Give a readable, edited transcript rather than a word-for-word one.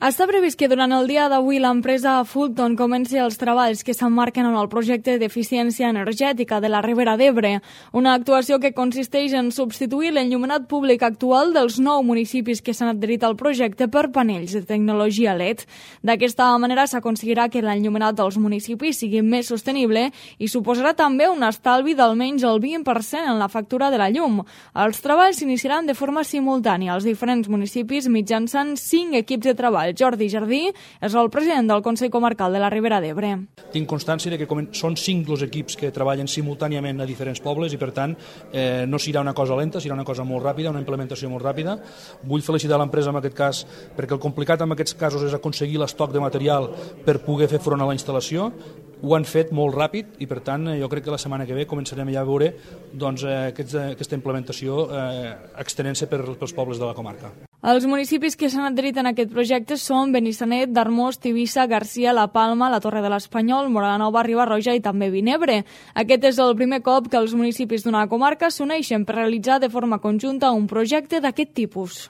Està previst que durant el dia d'avui l'empresa Fulton comenci els treballs que s'emmarquen en el projecte d'eficiència energètica de la Ribera d'Ebre, una actuació que consisteix en substituir l'enllumenat públic actual dels 9 municipis que s'han adherit al projecte per panells de tecnologia LED. D'aquesta manera s'aconseguirà que l'enllumenat dels municipis sigui més sostenible i suposarà també un estalvi d'almenys el 20% en la factura de la llum. Els treballs s'iniciaran de forma simultània als diferents municipis mitjançant 5 equips de treball. Jordi Jardí és el president del Consell Comarcal de la Ribera d'Ebre. Tinc constància que són 5 els equips que treballen simultàniament a diferents pobles i, per tant, no serà una cosa lenta, serà una cosa molt ràpida, una implementació molt ràpida. Vull felicitar l'empresa en aquest cas perquè el complicat en aquests casos és aconseguir l'estoc de material per poder fer front a la instal·lació. Ho han fet molt ràpid i, per tant, jo crec que la setmana que ve començarem ja a veure aquesta implementació extenent-se pels pobles de la comarca. Els municipis que s'han adherit en aquest projecte són Benissanet, Darmós, Tivissa, Garcia, La Palma, la Torre de l'Espanyol, Móra-la-Nova, Riba-roja i també Vinebre. Aquest és el primer cop que els municipis d'una comarca s'uneixen per realitzar de forma conjunta un projecte d'aquest tipus.